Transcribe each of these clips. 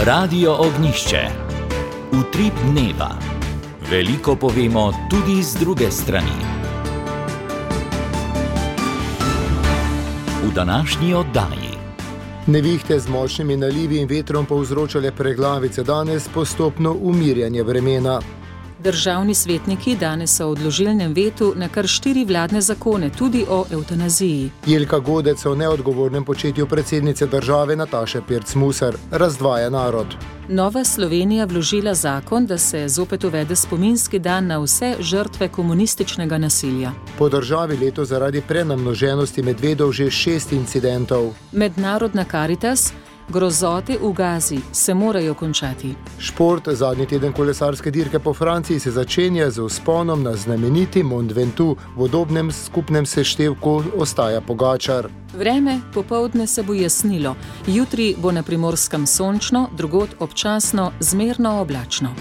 Radio Ognjišče. Utrip dneva. Veliko povemo tudi z druge strani. V današnji oddaji. Nevihte z močnimi nalivi in vetrom povzročale preglavice, danes postopno umirjanje vremena. Državni svetniki danes so v odložilnem vetu na kar 4 vladne zakone, tudi o evtanaziji. Jelka Godec o neodgovornem početju predsednice države Nataše Pirc-Musar razdvaja narod. Nova Slovenija vložila zakon, da se zopet uvede spominski dan na vse žrtve komunističnega nasilja. Po državi leto zaradi prenamnoženosti medvedov že 6 incidentov. Mednarodna Karitas: grozote v Gazi se morajo končati. Šport: zadnji teden kolesarske dirke po Franciji se začenja z vzponom na znameniti Mont Ventoux, v udobnem skupnem seštevku ostaja Pogačar. Vreme: popoldne se bo jasnilo, jutri bo na Primorskem sončno, drugod občasno zmerno oblačno.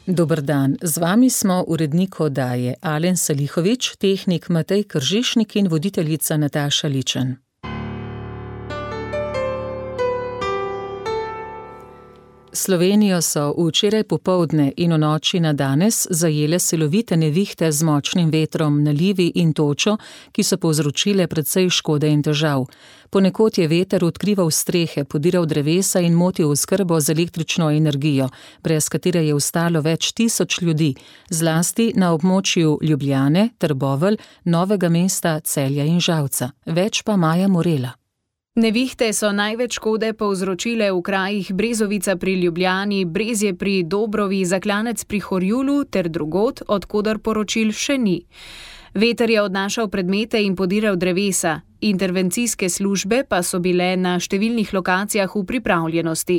Dober dan, z vami smo urednik oddaje Alen Salihović, tehnik Matej Kržišnik in voditeljica Nataša Ličen. Slovenijo so včeraj popoldne in v noči na danes zajele silovite nevihte z močnim vetrom, nalivi in točo, ki so povzročile precej škode in težav. Ponekod je veter odkrival strehe, podiral drevesa in motil oskrbo z električno energijo, brez katere je ostalo več tisoč ljudi, zlasti na območju Ljubljane, Trbovelj, Novega mesta, Celja in Žalca. Več pa Maja Morela. Nevihte so največ škode povzročile v krajih Brezovica pri Ljubljani, Brezje pri Dobrovi, Zaklanec pri Horjulu ter drugod, od koder poročil še ni. Veter je odnašal predmete in podiral drevesa, intervencijske službe pa so bile na številnih lokacijah v pripravljenosti.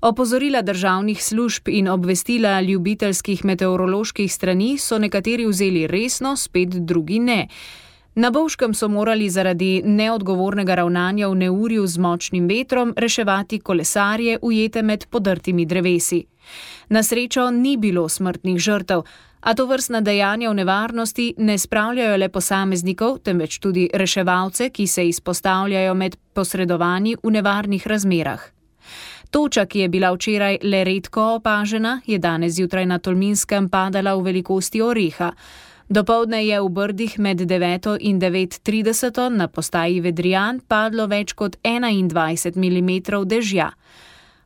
Opozorila državnih služb in obvestila ljubiteljskih meteoroloških strani so nekateri vzeli resno, spet drugi ne. Na Bovškem so morali zaradi neodgovornega ravnanja v neurju z močnim vetrom reševati kolesarje, ujete med podrtimi drevesi. Na srečo ni bilo smrtnih žrtev, a tovrstna dejanja v nevarnosti ne spravljajo le posameznikov, temveč tudi reševalce, ki se izpostavljajo med posredovanji v nevarnih razmerah. Toča, ki je bila včeraj le redko opažena, je danes zjutraj na Tolminskem padala v velikosti oreha. Dopoldne je v Brdih med 9 in 9:30 na postaji Vedrijan padlo več kot 21 mm dežja.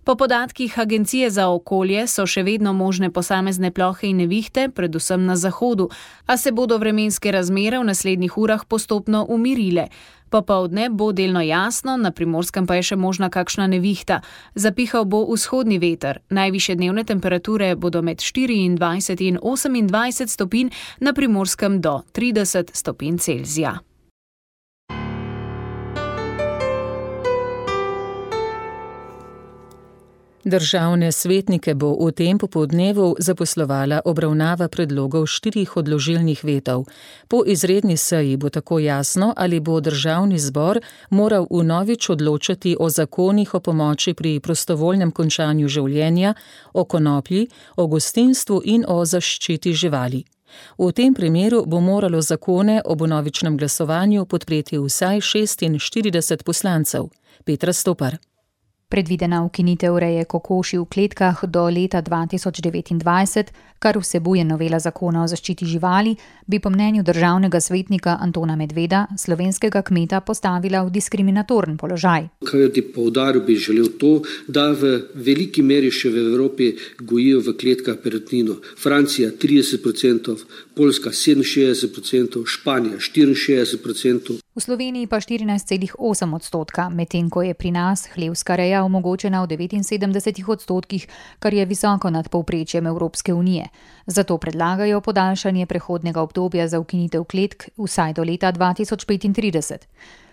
Po podatkih Agencije za okolje so še vedno možne posamezne plohe in nevihte, predvsem na zahodu, a se bodo vremenske razmere v naslednjih urah postopno umirile. Popoldne bo delno jasno, na Primorskem pa je še možna kakšna nevihta. Zapihal bo vzhodni veter. Najvišje dnevne temperature bodo med 24 in 28 stopinj, na Primorskem do 30 stopinj Celzija. Državne svetnike bo v tem popoldnevu zaposlovala obravnava predlogov 4 odložilnih vetov. Po izredni seji bo tako jasno, ali bo državni zbor moral vnovič odločati o zakonih o pomoči pri prostovoljnem končanju življenja, o konoplji, o gostinstvu in o zaščiti živali. V tem primeru bo moralo zakone ob vnovičnem glasovanju podpreti vsaj 46 poslancev. Petra Stopar. Predvidena ukinitev reje kokoši v kletkah do leta 2029, kar vsebuje novela zakona o zaščiti živali, bi po mnenju državnega svetnika Antona Medveda slovenskega kmeta postavila v diskriminatoren položaj. Kajti poudaril bi želel to, da v veliki meri še v Evropi gojijo v kletkah perutnino. Francija 30%, Poljska 67%, Španija 64%. V Sloveniji pa 14,8%, medtem ko je pri nas hlevska reja omogočena v 79%, kar je visoko nad povprečjem Evropske unije. Zato predlagajo podaljšanje prehodnega obdobja za ukinitev kletk vsaj do leta 2035.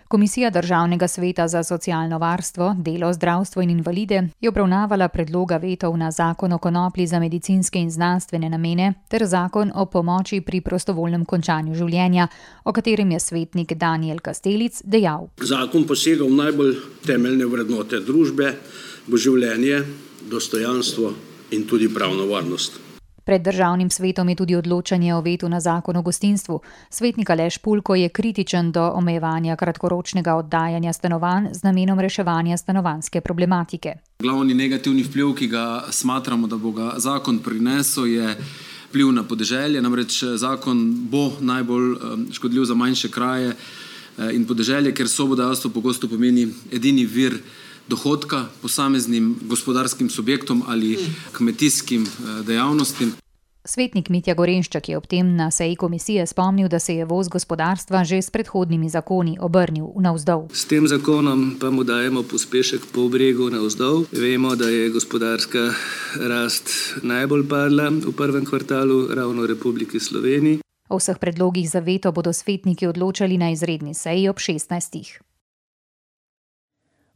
Komisija Državnega sveta za socialno varstvo, delo, zdravstvo in invalide je obravnavala predloga vetov na zakon o konoplji za medicinske in znanstvene namene ter zakon o pomoči pri prostovoljnem končanju življenja, o katerem je svetnik Danijel Kastelic dejal. Zakon posega v najbolj temeljne vrednote družbe, v življenje, dostojanstvo in tudi pravno varnost. Pred državnim svetom je tudi odločanje o vetu na zakon o gostinstvu. Svetnik Aleš Pulko je kritičen do omejevanja kratkoročnega oddajanja stanovanj z namenom reševanja stanovanjske problematike. Glavni negativni vpliv, ki ga smatramo, da bo ga zakon prinesel, je vpliv na podeželje. Namreč zakon bo najbolj škodljiv za manjše kraje in podeželje, ker sobodajalstvo pogosto pomeni edini vir dohodka posameznim gospodarskim subjektom ali kmetijskim dejavnostim. Svetnik Mitja Gorenščak je ob tem na seji komisije spomnil, da se je voz gospodarstva že s predhodnimi zakoni obrnil navzdol. S tem zakonom pa mu dajemo pospešek po bregu navzdol. Vemo, da je gospodarska rast najbolj padla v prvem kvartalu ravno v Republiki Sloveniji. O vseh predlogih za veto bodo svetniki odločali na izredni seji ob 16.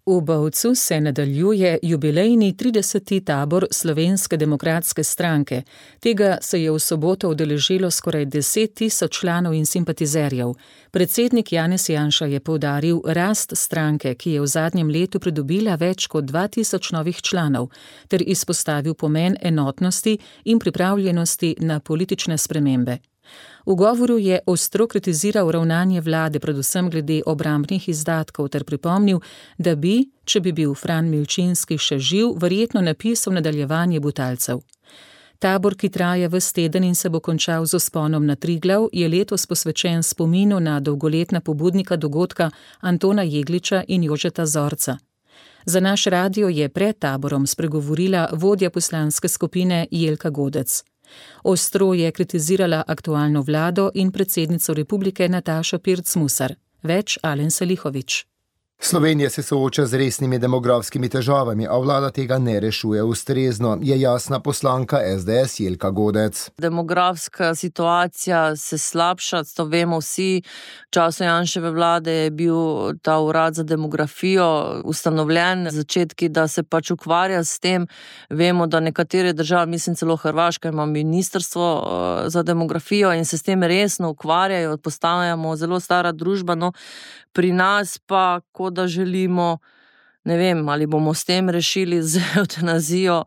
V Bovcu se nadaljuje jubilejni 30. tabor Slovenske demokratske stranke. Tega se je v soboto udeležilo skoraj 10.000 članov in simpatizerjev. Predsednik Janez Janša je poudaril rast stranke, ki je v zadnjem letu pridobila več kot 2.000 novih članov, ter izpostavil pomen enotnosti in pripravljenosti na politične spremembe. V govoru je ostro kritiziral ravnanje vlade, predvsem glede obrambnih izdatkov, ter pripomnil, da bi, če bi bil Fran Milčinski še živ, verjetno napisal nadaljevanje Butalcev. Tabor, ki traja ves teden in se bo končal z vzponom na Triglav, je letos posvečen spominu na dolgoletna pobudnika dogodka Antona Jegliča in Jožeta Zorca. Za naš radio je pred taborom spregovorila vodja poslanske skupine Jelka Godec. Ostro je kritizirala aktualno vlado in predsednico republike Natašo Pirc Musar. Več Alen Salihović. Slovenija se sooča z resnimi demografskimi težavami, a vlada tega ne rešuje ustrezno, je jasna poslanka SDS Jelka Godec. Demografska situacija se slabša, to vemo vsi. V času Janševe vlade je bil ta urad za demografijo ustanovljen, začetki, da se pač ukvarja s tem. Vemo, da nekatere države, mislim celo Hrvaška, ima ministrstvo za demografijo in se s tem resno ukvarjajo, postajamo zelo stara družba, no pri nas pa, kot da želimo, ne vem, ali bomo s tem rešili z evtanazijo,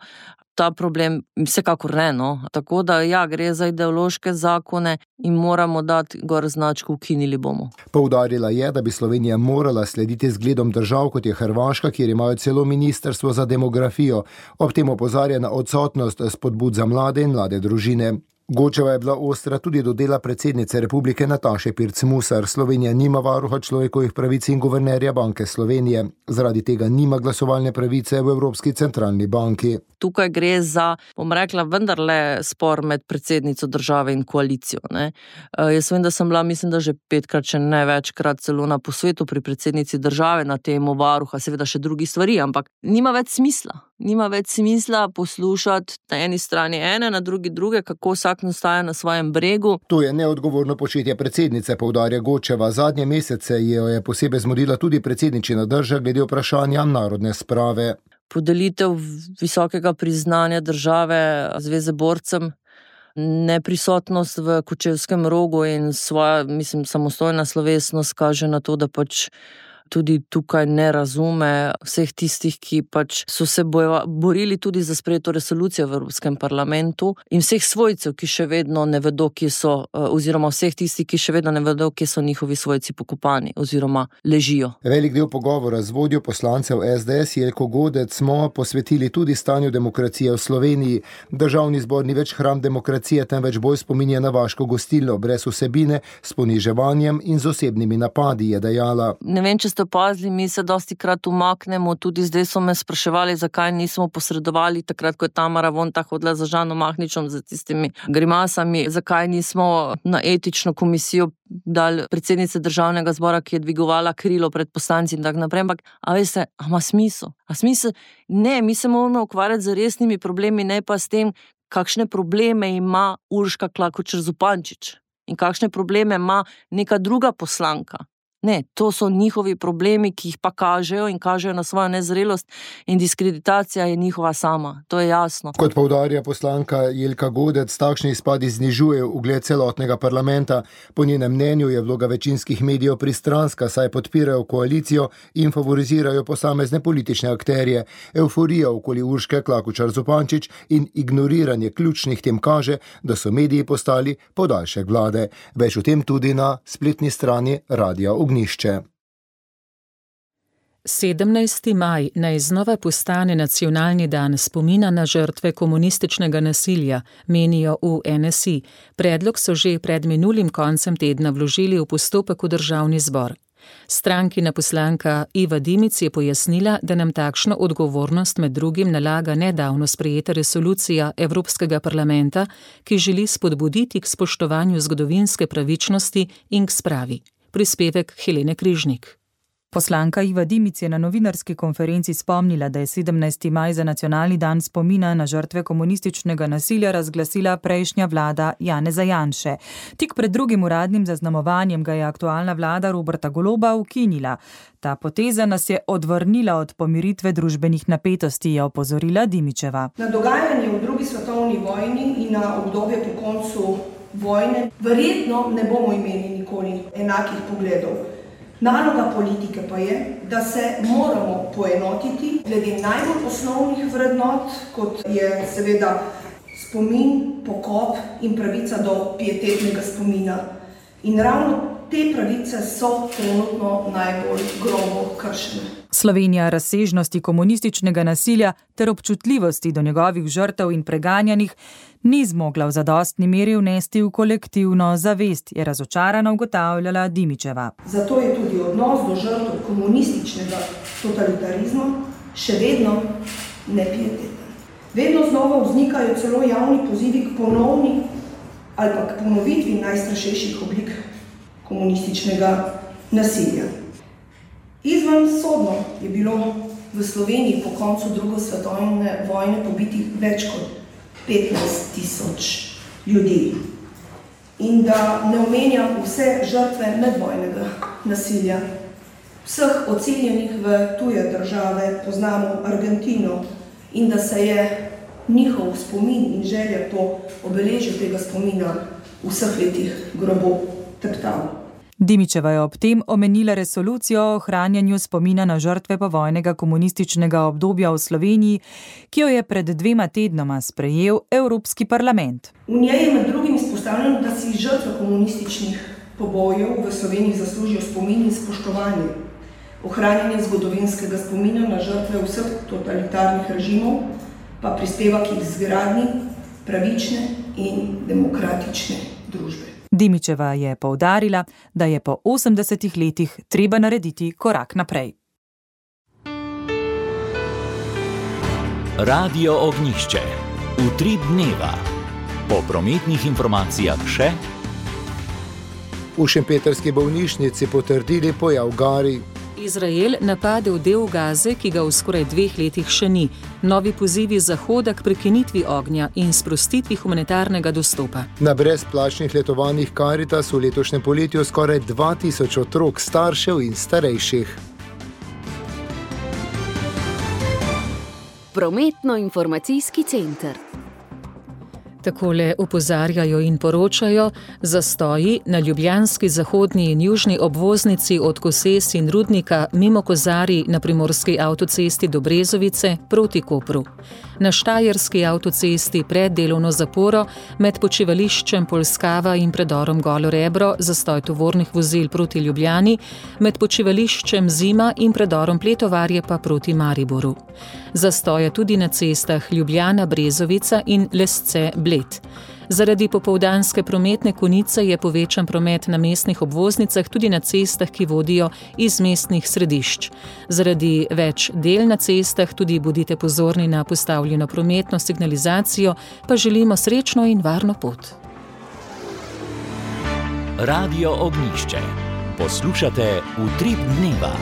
ta problem vsekakor ne, no. Tako da ja, gre za ideološke zakone in moramo dati gor značko ukinili bomo. Poudarila je, da bi Slovenija morala slediti zgledom držav, kot je Hrvaška, kjer imajo celo ministrstvo za demografijo. Ob tem opozarja na odsotnost spodbud za mlade in mlade družine. Godčeva je bila ostra tudi do dela predsednice republike Nataše Pirc Musar. Slovenija nima varuha človekovih pravic in guvernerja Banke Slovenije. Zaradi tega nima glasovalne pravice v Evropski centralni banki. Tukaj gre za, bom rekla, vendarle spor med predsednico države in koalicijo, ne. Jaz vem, da sem bila, mislim, da že 5-krat, če ne večkrat celo na posvetu pri predsednici države na temo varuha, seveda še drugi stvari, ampak nima več smisla. Nima več smisla poslušati na eni strani ene, na drugi druge, kako vsak nastaja na svojem bregu. To je neodgovorno početje predsednice, poudarja Godčeva. Zadnje mesece jo je posebej zmodila tudi predsedničina drža glede vprašanja narodne sprave. Podelitev visokega priznanja države Zveze borcem, neprisotnost v Kočevskem Rogu in svoja, mislim, samostojna slovesnost kaže na to, da pač tudi tukaj ne razume vseh tistih, ki pač so se borili tudi za sprejeto resolucijo v Evropskem parlamentu in vseh svojcev, ki še vedno ne vedo, kje so, oziroma vseh tistih, ki še vedno ne vedo, kje so njihovi svojci pokopani oziroma ležijo. Velik del pogovora z vodjo poslancev SDS Jelko Godec smo posvetili tudi stanju demokracije v Sloveniji. Državni zbor ni več hram demokracije, temveč bolj spominja na vaško gostilno, brez vsebine, s poniževanjem in z osebnimi napadi, je dejala. Ne vem, če ste opazili, mi se dostikrat umaknemo, tudi zdaj so me spraševali, zakaj nismo posredovali takrat, ko je Tamara Vonta hodila za Žanom Mahničem za tistimi grimasami, zakaj nismo na etično komisijo dali predsednice državnega zbora, ki je dvigovala krilo pred poslanci in tako naprej, ampak, a veste, a ima smisel? A smisel? Ne, mi se moramo ukvarjati z resnimi problemi, ne pa s tem, kakšne probleme ima Urška Klakočar Zupančič in kakšne probleme ima neka druga poslanka. Ne, to so njihovi problemi, ki jih pa kažejo in kažejo na svojo nezrelost in diskreditacija je njihova sama. To je jasno. Kot poudarja poslanka Jelka Godec, takšni izpadi znižujejo ugled celotnega parlamenta. Po njenem mnenju je vloga večinskih medijev pristranska, saj podpirajo koalicijo in favorizirajo posamezne politične akterje. Euforija okoli Urške Klakočar Zupančič in ignoriranje ključnih tem kaže, da so mediji postali podaljšek vlade. Več o tem tudi na spletni strani Radia Ognjišče. 17. maj naj znova postane nacionalni dan spomina na žrtve komunističnega nasilja, menijo v NSI. Predlog so že pred minulim koncem tedna vložili v postopek v Državni zbor. Strankina poslanka Iva Dimic je pojasnila, da nam takšno odgovornost med drugim nalaga nedavno sprejeta resolucija Evropskega parlamenta, ki želi spodbuditi k spoštovanju zgodovinske pravičnosti in k spravi. Prispevek Helene Križnik. Poslanka Iva Dimic je na novinarski konferenci spomnila, da je 17. maj za nacionalni dan spomina na žrtve komunističnega nasilja razglasila prejšnja vlada Janeza Janše. Tik pred drugim uradnim zaznamovanjem ga je aktualna vlada Roberta Goloba ukinila. Ta poteza nas je odvrnila od pomiritve družbenih napetosti, je opozorila Dimičeva. Na dogajanje v drugi svetovni vojni in na obdobje po koncu vojne verjetno ne bomo imeli nikoli enakih pogledov. Naloga politike pa je, da se moramo poenotiti glede najbolj osnovnih vrednot, kot je seveda spomin, pokop in pravica do pietetnega spomina. In ravno te pravice so trenutno najbolj grobo kršene. Slovenija razsežnosti komunističnega nasilja ter občutljivosti do njegovih žrtev in preganjanih ni zmogla v zadostni meri vnesti v kolektivno zavest, je razočarano ugotavljala Dimičeva. Zato je tudi odnos do žrtev komunističnega totalitarizma še vedno nepieteten. Vedno znova vznikajo celo javni pozivi k ponovni ali pa k ponovitvi najstrašnejših oblik komunističnega nasilja. Izven sodno je bilo v Sloveniji po koncu druge svetovne vojne pobitih več kot 15.000 ljudi. In da ne omenjam vse žrtve medvojnega nasilja. Vseh odseljenih v tuje države, poznamo Argentino, in da se je njihov spomin in želja po obeležju tega spomina v vseh letih grobo teptal. Dimičeva je ob tem omenila resolucijo o ohranjanju spomina na žrtve povojnega komunističnega obdobja v Sloveniji, ki jo je pred 2 tednoma sprejel Evropski parlament. V njej je med drugim izpostavljeno, da si žrtve komunističnih pobojev v Sloveniji zaslužijo spomin in spoštovanje. Ohranjanje zgodovinskega spomina na žrtve vseh totalitarnih režimov pa prispeva k izgradnji pravične in demokratične družbe. Dimičeva je poudarila, da je po 80 letih treba narediti korak naprej. Radio Ognjišče. Utrip dneva. Po prometnih informacijah še. V šempetrski bolnišnici potrdili pojav garij. Izrael napadel del Gaze, ki ga v skoraj 2 letih še ni. Novi pozivi Zahoda k prekinitvi ognja in sprostitvi humanitarnega dostopa. Na brezplačnih letovanjih Caritas v letošnjem poletju skoraj 2000 otrok, staršev in starejših. Prometno-informacijski center. Takole opozarjajo in poročajo, zastoji na ljubljanski zahodni in južni obvoznici od Koses in Rudnika mimo Kozarij na primorski avtocesti do Brezovice proti Kopru. Na štajerski avtocesti pred delovno zaporo med počivališčem Polskava in predorom Golo Rebro zastoj tovornih vozil proti Ljubljani, med počivališčem Zima in predorom Pletovarje pa proti Mariboru. Zastoja tudi na cestah Ljubljana, Brezovica in Lesce Bled. Zaradi popoldanske prometne konice je povečan promet na mestnih obvoznicah tudi na cestah, ki vodijo iz mestnih središč. Zaradi več del na cestah tudi bodite pozorni na postavljeno prometno signalizacijo, pa želimo srečno in varno pot. Radio Ognjišče. Poslušate Utrip dneva.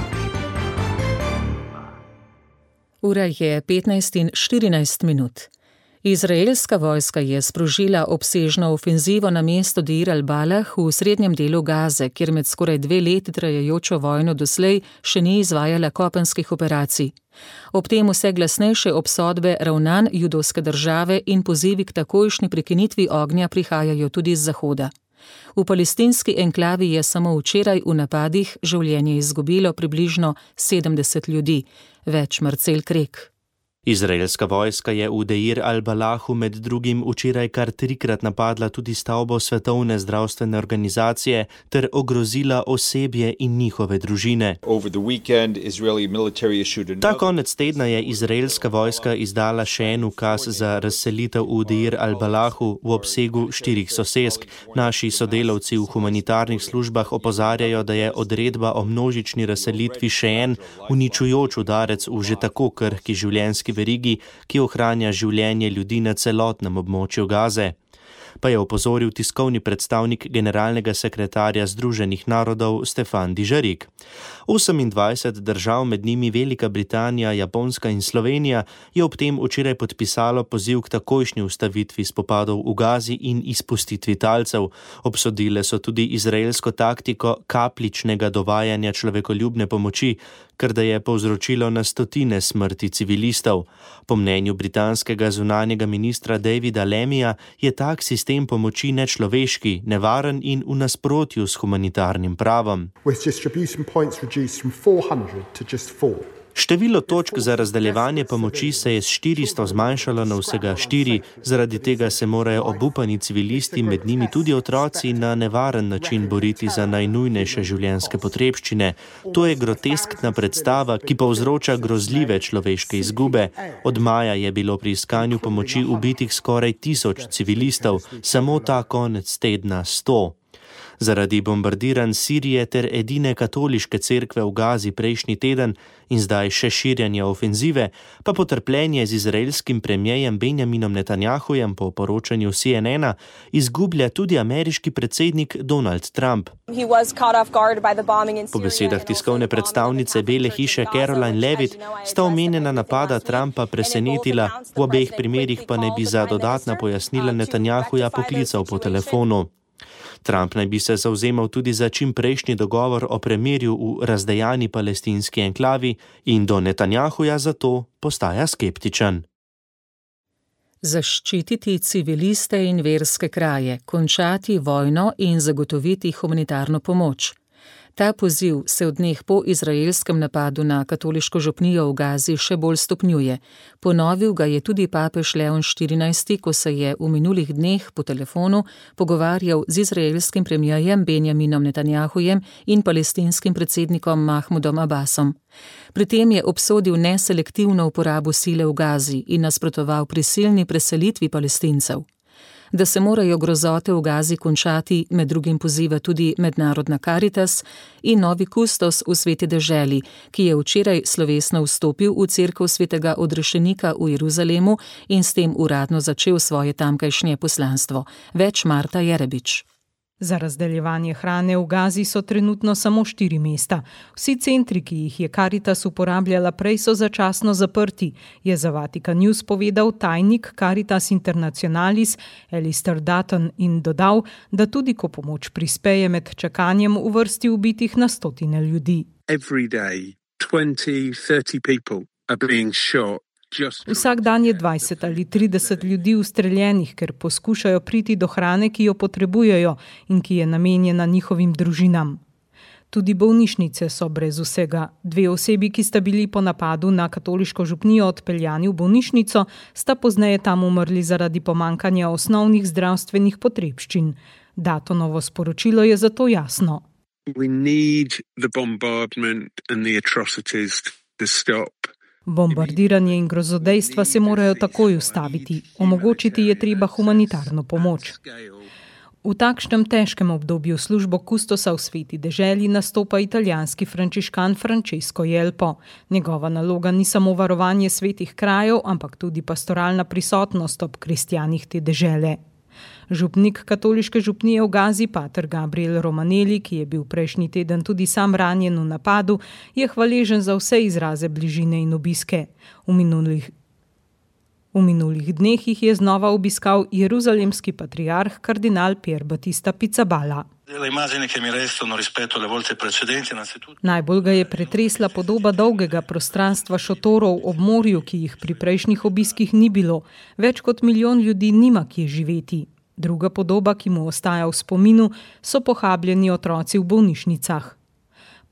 Ura je 15:14. Izraelska vojska je sprožila obsežno ofenzivo na mesto Deir al-Balah v srednjem delu Gaze, kjer med skoraj 2 leti trajajočo vojno doslej še ni izvajala kopenskih operacij. Ob tem vse glasnejše obsodbe ravnanj judovske države in pozivi k takojšnji prekinitvi ognja prihajajo tudi z zahoda. V palestinski enklavi je samo včeraj v napadih življenje izgubilo približno 70 ljudi, več Marcel Krek. Izraelska vojska je v Deir al-Balahu med drugim včeraj kar 3-krat napadla tudi stavbo Svetovne zdravstvene organizacije ter ogrozila osebje in njihove družine. Ta konec tedna je izraelska vojska izdala še en ukaz za razselitev v Deir al-Balahu v obsegu 4 sosesk. Naši sodelavci v humanitarnih službah opozarjajo, da je odredba o množični razselitvi še en uničujoč udarec v že tako krhki življenjski verigi, ki ohranja življenje ljudi na celotnem območju Gaze. Pa je opozoril tiskovni predstavnik generalnega sekretarja Združenih narodov Stefan Dujarric. 28 držav, med njimi Velika Britanija, Japonska in Slovenija, je ob tem včeraj podpisalo poziv k takojšnji ustavitvi spopadov v Gazi in izpustitvi talcev. Obsodile so tudi izraelsko taktiko kapljičnega dovajanja človekoljubne pomoči, kar da je povzročilo na stotine smrti civilistov. Po mnenju britanskega zunanjega ministra Davida Lamija je tak sistem pomoči nečloveški, nevaren in v nasprotju s humanitarnim pravom. Število točk za razdeljevanje pomoči se je s 400 zmanjšalo na vsega 4, zaradi tega se morajo obupani civilisti, med njimi tudi otroci, na nevaren način boriti za najnujnejše življenjske potrebščine. To je groteskna predstava, ki povzroča grozljive človeške izgube. Od maja je bilo pri iskanju pomoči ubitih skoraj 1000 civilistov, samo ta konec tedna 100. Zaradi bombardiranj Sirije ter edine katoliške cerkve v Gazi prejšnji teden in zdaj še širjanja ofenzive, pa potrpljenje z izraelskim premierjem Benjaminom Netanjahujem po poročanju CNN-a izgublja tudi ameriški predsednik Donald Trump. Po besedah tiskovne predstavnice Bele hiše Caroline Levitt sta omenjena napada Trumpa presenetila, v obeh primerih pa naj bi za dodatna pojasnila Netanjahuja poklical po telefonu. Trump naj bi se zavzemal tudi za čimprejšnji dogovor o premirju v razdejani palestinski enklavi in do Netanjahuja zato postaja skeptičen. Zaščititi civiliste in verske kraje, končati vojno in zagotoviti humanitarno pomoč. Ta poziv se v dneh po izraelskem napadu na katoliško župnijo v Gazi še bolj stopnjuje. Ponovil ga je tudi papež Leon XIV, ko se je v minulih dneh po telefonu pogovarjal z izraelskim premierjem Benjaminom Netanjahujem in palestinskim predsednikom Mahmudom Abbasom. Pri tem je obsodil neselektivno uporabo sile v Gazi in nasprotoval prisilni preselitvi Palestincev. Da se morajo grozote v Gazi končati, med drugim poziva tudi Mednarodna Karitas in novi kustos v Sveti deželi, ki je včeraj slovesno vstopil v cerkev Svetega odrešenika v Jeruzalemu in s tem uradno začel svoje tamkajšnje poslanstvo. Več Marta Jerebič. Za razdeljevanje hrane v Gazi so trenutno samo 4 mesta. Vsi centri, ki jih je Karitas uporabljala prej, so začasno zaprti, je za Vatikan News povedal tajnik Caritas Internationalis Alistair Dutton in dodal, da tudi ko pomoč prispeje, med čakanjem v vrsti ubitih na stotine ljudi. Every day, 20-30 people are being shot. Vsak dan je 20 ali 30 ljudi ustreljenih, ker poskušajo priti do hrane, ki jo potrebujejo in ki je namenjena njihovim družinam. Tudi bolnišnice so brez vsega. 2 osebi, ki sta bili po napadu na katoliško župnijo odpeljani v bolnišnico, sta pozneje tam umrli zaradi pomankanja osnovnih zdravstvenih potrebščin. Datonovo sporočilo je zato jasno. We need the bombardment and the atrocities to stop. Bombardiranje in grozodejstva se morajo takoj ustaviti. Omogočiti je treba humanitarno pomoč. V takšnem težkem obdobju službo kustosa v Sveti deželi nastopa italijanski frančiškan Francesco Jelpo. Njegova naloga ni samo varovanje svetih krajev, ampak tudi pastoralna prisotnost ob kristjanih te dežele. Župnik katoliške župnije v Gazi, pater Gabriel Romanelli, ki je bil prejšnji teden tudi sam ranjen v napadu, je hvaležen za vse izraze bližine in obiske. V minulih dneh jih je znova obiskal jeruzalemski patriarh kardinal Pier Battista Pizzaballa. Najbolj ga je pretresla podoba dolgega prostranstva šotorov ob morju, ki jih pri prejšnjih obiskih ni bilo. Več kot 1 milijon ljudi nima kje živeti. Druga podoba, ki mu ostaja v spominu, so pohabljeni otroci v bolnišnicah.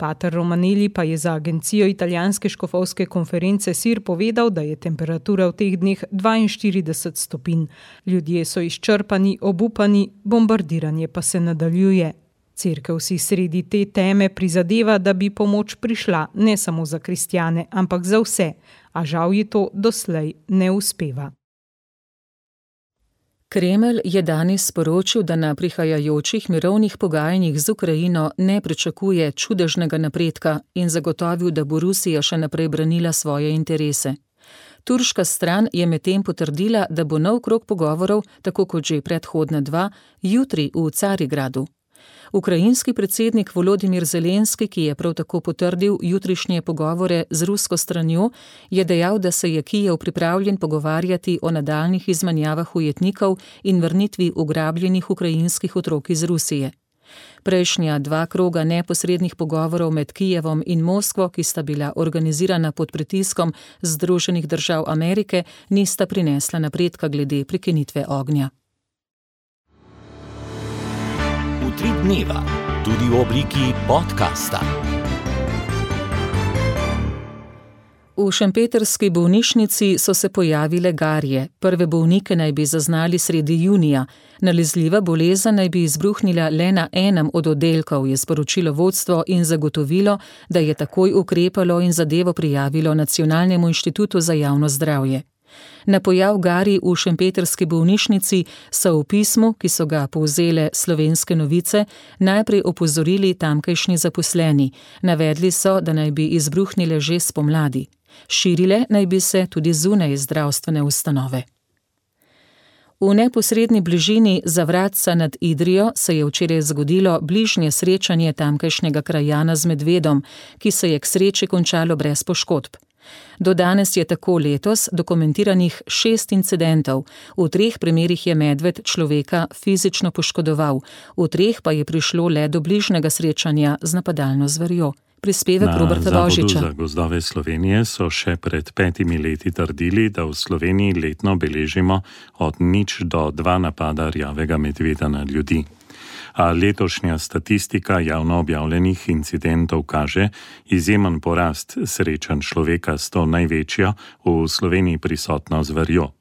Pater Romanelli pa je za agencijo italijanske škofovske konference SIR povedal, da je temperatura v teh dneh 42 stopinj. Ljudje so izčrpani, obupani, bombardiranje pa se nadaljuje. Cerkev si sredi te teme prizadeva, da bi pomoč prišla ne samo za kristjane, ampak za vse, a žal ji to doslej ne uspeva. Kremelj je danes sporočil, da na prihajajočih mirovnih pogajanjih z Ukrajino ne pričakuje čudežnega napredka in zagotovil, da bo Rusija še naprej branila svoje interese. Turška stran je medtem potrdila, da bo nov krog pogovorov, tako kot že predhodna 2, jutri v Carigradu. Ukrajinski predsednik Volodimir Zelenski, ki je prav tako potrdil jutrišnje pogovore z rusko stranjo, je dejal, da se je Kijev pripravljen pogovarjati o nadaljnjih izmenjavah ujetnikov in vrnitvi ugrabljenih ukrajinskih otrok iz Rusije. Prejšnja 2 kroga neposrednih pogovorov med Kijevom in Moskvo, ki sta bila organizirana pod pritiskom Združenih držav Amerike, nista prinesla napredka glede prekinitve ognja. Utrip dneva, tudi v obliki podcasta. V šempetrski bolnišnici so se pojavile garje. Prve bolnike naj bi zaznali sredi junija. Nalezljiva bolezen naj bi izbruhnila le na enem od oddelkov, je sporočilo vodstvo in zagotovilo, da je takoj ukrepalo in zadevo prijavilo Nacionalnemu inštitutu za javno zdravje. Na pojav garij v šempetrski bolnišnici so v pismu, ki so ga povzele Slovenske novice, najprej opozorili tamkajšnji zaposleni. Navedli so, da naj bi izbruhnile že spomladi. Širile naj bi se tudi zunaj zdravstvene ustanove. V neposredni bližini Zavratca nad Idrijo se je včeraj zgodilo bližnje srečanje tamkajšnjega krajana z medvedom, ki se je k sreči končalo brez poškodb. Do danes je tako letos dokumentiranih 6 incidentov. V 3 primerih je medved človeka fizično poškodoval, v 3 pa je prišlo le do bližnjega srečanja z napadalno zverjo. Prispevek Roberta Božiča. Na Zavodu za gozdove Slovenije so še pred 5 leti trdili, da v Sloveniji letno beležimo od 0 do 2 napada rjavega medveda na ljudi. A letošnja statistika javno objavljenih incidentov kaže izjemen porast srečanj človeka s to največjo v Sloveniji prisotno zverjo.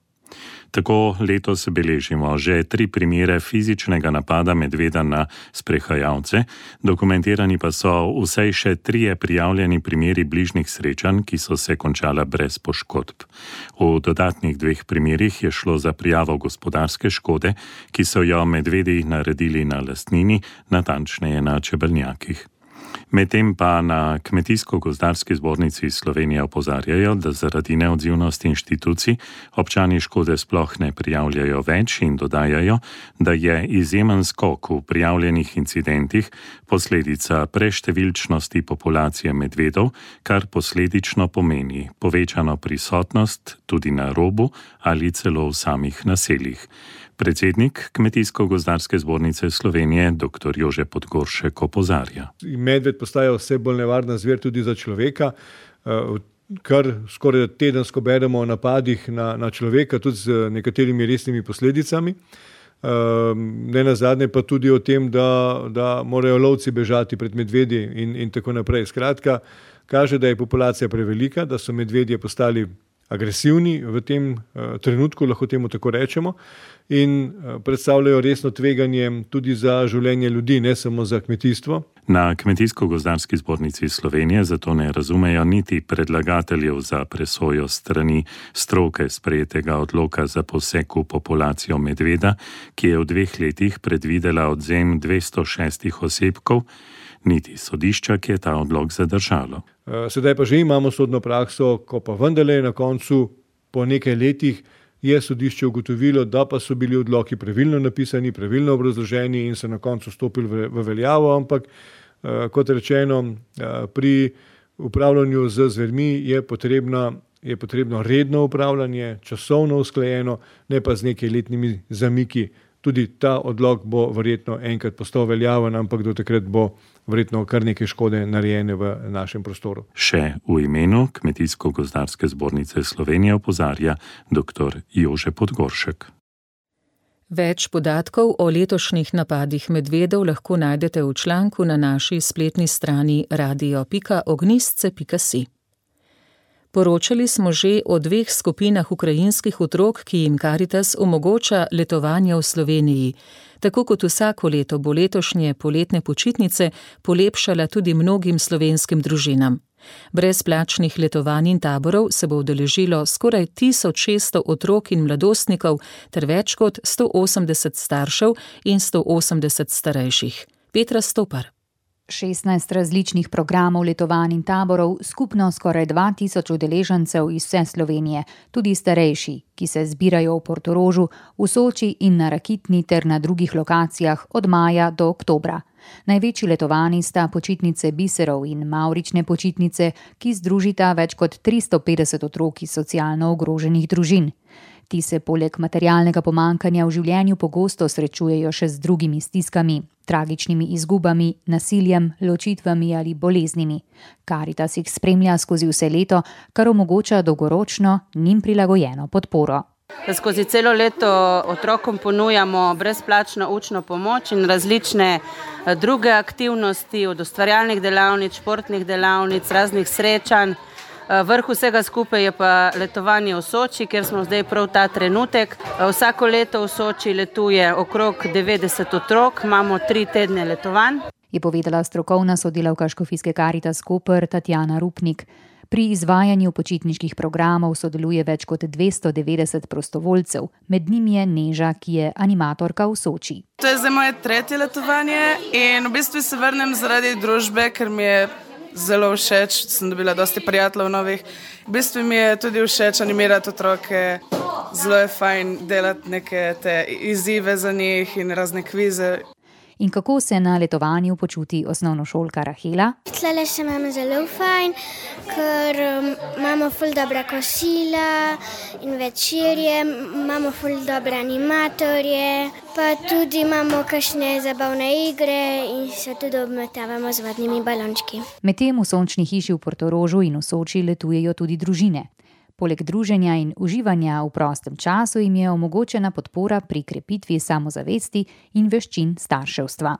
Tako letos beležimo že 3 primere fizičnega napada medveda na sprehajalce, dokumentirani pa so vsaj še 3 prijavljeni primeri bližnjih srečanj, ki so se končala brez poškodb. V dodatnih 2 primerih je šlo za prijavo gospodarske škode, ki so jo medvedi naredili na lastnini, natančneje na čebelnjakih. Medtem pa na Kmetijsko-gozdarski zbornici Slovenije opozarjajo, da zaradi neodzivnosti inštitucij občani škode sploh ne prijavljajo več in dodajajo, da je izjemen skok v prijavljenih incidentih posledica preštevilčnosti populacije medvedov, kar posledično pomeni povečano prisotnost tudi na robu ali celo v samih naseljih. Predsednik Kmetijsko-gozdarske zbornice Slovenije, dr. Jože Podgoršek, opozarja. Medved postaja vse bolj nevarna zver tudi za človeka, kar skoraj tedensko beremo o napadih na človeka, tudi z nekaterimi resnimi posledicami. Ne nazadnje pa tudi o tem, da morajo lovci bežati pred medvedji in tako naprej. Skratka, kaže, da je populacija prevelika, da so medvedje postali agresivni v tem trenutku, lahko temu tako rečemo, in predstavljajo resno tveganje tudi za življenje ljudi, ne samo za kmetijstvo. Na Kmetijsko-gozdarski zbornici Slovenije zato ne razumejo niti predlagateljev za presojo strani stroke sprejetega odloka za poseg v populacijo medveda, ki je v 2 letih predvidela odvzem 206 osebkov, niti sodišča, ki je ta odlok zadržalo. Sedaj pa že imamo sodno prakso, ko pa vendarle na koncu po nekaj letih je sodišče ugotovilo, da pa so bili odloki pravilno napisani, pravilno obrazloženi in so na koncu stopili v veljavo, ampak kot rečeno, pri upravljanju z zvermi je potrebna je potrebno redno upravljanje, časovno usklajeno, ne pa z nekaj letnimi zamiki. Tudi ta odlok bo verjetno enkrat postal veljaven, ampak do takrat bo verjetno kar nekaj škode narejene v našem prostoru. Še v imenu Kmetijsko-gozdarske zbornice Slovenije opozarja dr. Jože Podgoršek. Več podatkov o letošnjih napadih medvedov lahko najdete v članku na naši spletni strani radio.ognistce.si. Poročali smo že o 2 skupinah ukrajinskih otrok, ki jim Karitas omogoča letovanje v Sloveniji. Tako kot vsako leto bo letošnje poletne počitnice polepšala tudi mnogim slovenskim družinam. Brezplačnih letovanj in taborov se bo udeležilo skoraj 1600 otrok in mladostnikov ter več kot 180 staršev in 180 starejših. Petra Stopar. 16 različnih programov letovanj in taborov, skupno skoraj 2000 udeležencev iz vse Slovenije, tudi starejši, ki se zbirajo v Portorožu, v Soči in na Rakitni ter na drugih lokacijah od maja do oktobra. Največji letovanji sta počitnice Biserov in Mavrične počitnice, ki združita več kot 350 otrok iz socialno ogroženih družin. Ti se poleg materialnega pomankanja v življenju pogosto srečujejo še z drugimi stiskami, tragičnimi izgubami, nasiljem, ločitvami ali boleznimi. Karitas jih spremlja skozi vse leto, kar omogoča dolgoročno njim prilagojeno podporo. Skozi celo leto otrokom ponujamo brezplačno učno pomoč in različne druge aktivnosti, od ustvarjalnih delavnic, športnih delavnic, raznih srečanj. Vrh vsega skupaj je pa letovanje v Soči, kjer smo zdaj prav ta trenutek. Vsako leto v Soči letuje okrog 90 otrok, imamo 3 tedne letovanj. Je povedala strokovna sodelavka Škofijske Karitas Koper Tatjana Rupnik. Pri izvajanju počitniških programov sodeluje več kot 290 prostovoljcev, med njimi je Neža, ki je animatorka v Soči. To je zdaj moje 3. letovanje in v bistvu se vrnem zaradi družbe, ker mi je zelo všeč, sem dobila dosti prijateljev novih. V bistvu mi je tudi všeč animirati otroke, zelo je fajn delati neke te izzive za njih in razne kvize. In kako se na letovanju počuti osnovnošolka Rahela? Tlele se imamo zelo fajn, ker imamo ful dobra kosila in večerje, imamo ful dobre animatorje, pa tudi imamo kakšne zabavne igre in se tudi obmetavamo z vodnimi balončki. Medtem v sončni hiši v Portorožu in v Soči letujejo tudi družine. Poleg druženja in uživanja v prostem času jim je omogočena podpora pri krepitvi samozavesti in veščin starševstva.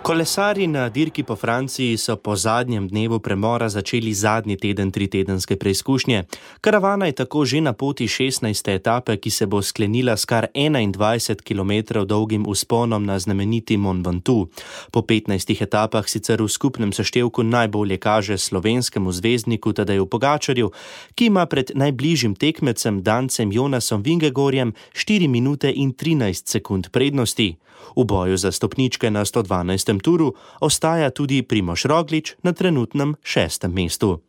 Kolesarji na dirki po Franciji so po zadnjem dnevu premora začeli zadnji teden 3-tedenske preizkušnje. Karavana je tako že na poti 16. etape, ki se bo sklenila s kar 21 km dolgim vzponom na znameniti Mont Ventoux. Po 15 etapah sicer v skupnem seštevku najbolje kaže slovenskemu zvezdniku Tadeju Pogačarju, ki ima pred najbližjim tekmecem Dancem Jonasom Vingegorjem 4 minute in 13 sekund prednosti. V boju za stopničke na 112. turu ostaja tudi Primož Roglič na trenutnem 6. mestu.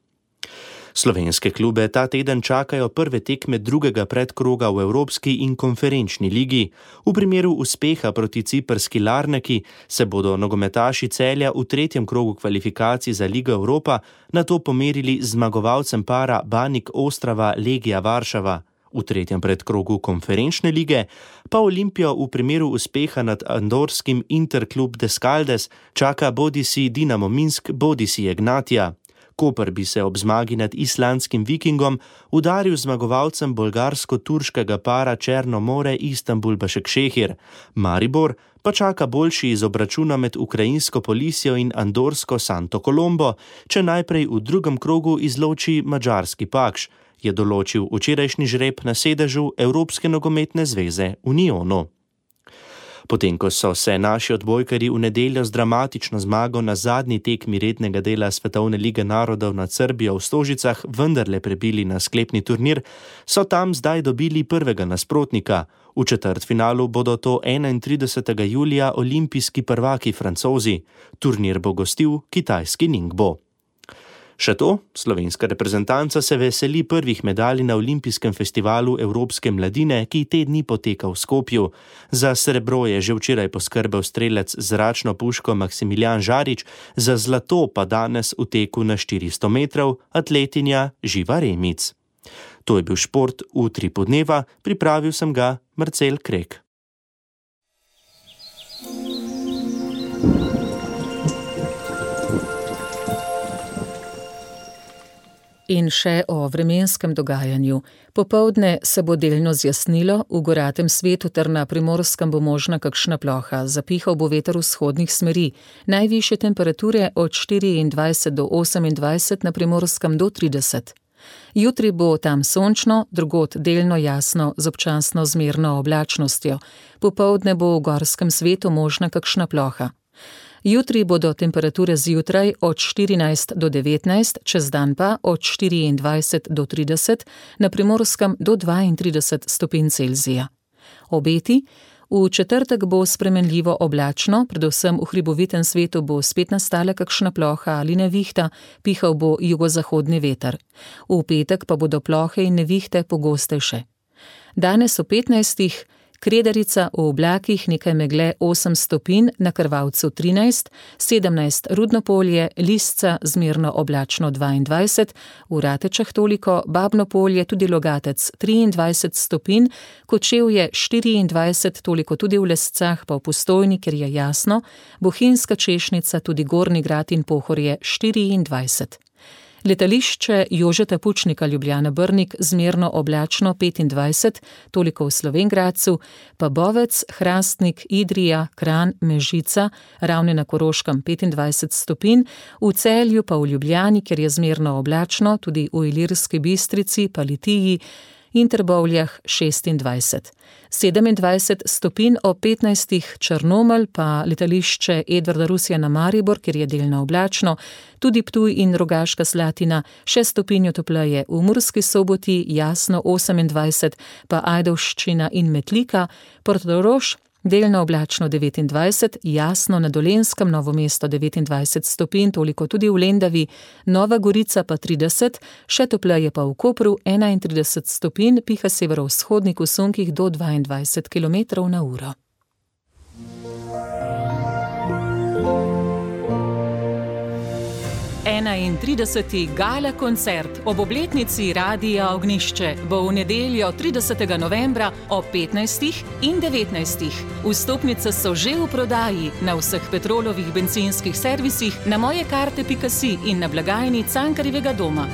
Slovenske klube ta teden čakajo prve tekme drugega predkroga v Evropski in konferenčni ligi. V primeru uspeha proti ciprski Larnaki se bodo nogometaši Celja v 3. krogu kvalifikacij za Ligo Evropa nato pomerili z zmagovalcem para Banik Ostrava Legija Varšava. V 3. predkrogu konferenčne lige pa Olimpijo v primeru uspeha nad andorskim Interklub Descaldes čaka bodisi Dinamo Minsk, bodisi Ignatija. Koper bi se ob zmagi nad islandskim Vikingom udaril zmagovalcem bolgarsko-turškega para Černo more Istanbul Başakšehir. Maribor pa čaka boljši iz obračuna med ukrajinsko Polisijo in andorsko Santo Colombo, če najprej v drugem krogu izloči madžarski Pakš, je določil včerajšnji žreb na sedežu Evropske nogometne zveze Unionu. Potem, ko so se naši odbojkarji v nedeljo z dramatično zmago na zadnji tekmi rednega dela Svetovne lige narodov nad Srbijo v Stožicah vendarle prebili na sklepni turnir, so tam zdaj dobili prvega nasprotnika. V četrtfinalu bodo to 31. julija olimpijski prvaki Francozi. Turnir bo gostil kitajski Ningbo. Še to, slovenska reprezentanca se veseli prvih medalj na olimpijskem festivalu Evropske mladine, ki te dni poteka v Skopju. Za srebro je že včeraj poskrbel strelec z zračno puško Maksimilijan Žarič, za zlato pa danes v teku na 400 metrov atletinja Živa Remic. To je bil šport v Utripu dneva, pripravil sem ga Marcel Krek. In še o vremenskem dogajanju. Popoldne se bo delno zjasnilo, v goratem svetu ter na Primorskem bo možna kakšna ploha, zapihal bo veter vzhodnih smeri, najvišje temperature od 24 do 28, na Primorskem do 30. Jutri bo tam sončno, drugod delno jasno z občasno zmerno oblačnostjo. Popoldne bo v gorskem svetu možna kakšna ploha. Jutri bodo temperature zjutraj od 14 do 19, čez dan pa od 24 do 30, na Primorskem do 32 stopinj Celzija. Obeti: v četrtek bo spremenljivo oblačno, predvsem v hribovitem svetu bo spet nastala kakšna ploha ali nevihta, pihal bo jugozahodni veter. V petek pa bodo plohe in nevihte pogostejše. Danes o 15. Kredarica v oblakih, nekaj megle 8 stopinj, na Krvavcu 13, 17 Rudnopolje, Lisca zmerno oblačno 22, v Ratečah toliko, Babno Polje, tudi Logatec 23 stopinj, Kočevje 24, toliko tudi v Lescah, pa v Postojni, ker je jasno, Bohinjska Češnica, tudi Gornji Grad in Pohorje 24. Letališče Jožeta Pučnika Ljubljana Brnik zmerno oblačno 25, toliko v Slovenj Gradcu, pa Bovec, Hrastnik, Idrija, Kranj, Mežica, Ravne na Koroškem 25 stopinj, v Celju pa v Ljubljani, kjer je zmerno oblačno, tudi v Ilirski Bistrici, pa Litiji in Trbovljah 26. 27 stopinj o 15 Črnomelj, pa letališče Edvarda Rusjana Maribor, kjer je delno oblačno, tudi Ptuj in Rogaška Slatina 6 stopinj topleje, v Murski Soboti jasno 28, pa Ajdovščina in Metlika, Portorož delno oblačno 29, jasno na Dolenjskem, Novo mesto 29 stopinj, toliko tudi v Lendavi, Nova Gorica pa 30, še topleje pa v Kopru 31 stopinj, piha severovzhodnik v sunkih do 22 km/h. 31. gala koncert ob obletnici Radia Ognjišče bo v nedeljo 30. novembra ob 15. in 19. Vstopnice so že v prodaji na vseh Petrolovih bencinskih servisih, na mojekarte.si in na blagajni Cankarjevega doma.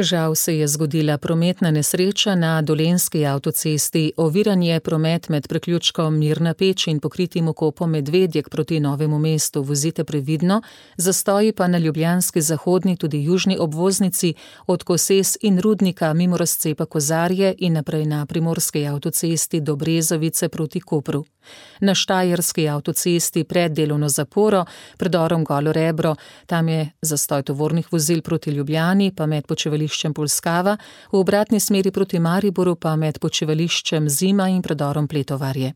Žal se je zgodila prometna nesreča na Dolenjski avtocesti. Oviran je promet med priključkom Mirna Peč in pokritim okopom Medvedjek proti Novemu mestu. Vozite previdno, zastoji pa na ljubljanski zahodni, tudi južni obvoznici od Koses in Rudnika mimo razcepa Kozarje in naprej na Primorski avtocesti do Brezovice proti Kopru. Na Štajerski avtocesti pred delovno zaporo, predorom Golo Rebro, tam je zastoj tovornih vozil proti Ljubljani, pa med počivališčem Polskava, v obratni smeri proti Mariboru pa med počivališčem Zima in predorom Pletovarje.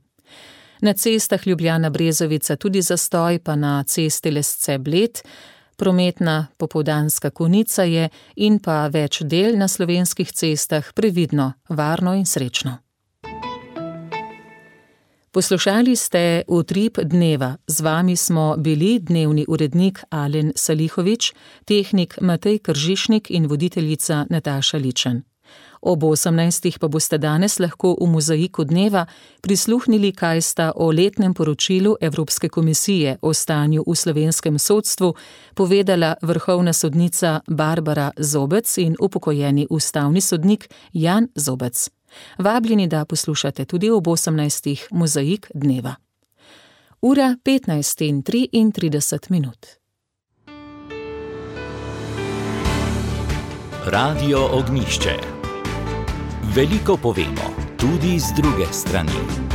Na cestah Ljubljana-Brezovica tudi zastoj, pa na cesti Lesce-Bled, prometna popoldanska konica je in pa več del na slovenskih cestah, previdno, varno in srečno. Poslušali ste Utrip dneva. Z vami smo bili dnevni urednik Alen Salihovič, tehnik Matej Kržišnik in voditeljica Nataša Ličen. Ob 18. pa boste danes lahko v Mozaiku dneva prisluhnili, kaj sta o letnem poročilu Evropske komisije o stanju v slovenskem sodstvu povedala vrhovna sodnica Barbara Zobec in upokojeni ustavni sodnik Jan Zobec. Vabljeni, da poslušate tudi ob 18. Mozaik dneva. Ura 15:33. Radio Ognjišče. Veliko povemo, tudi z druge strani.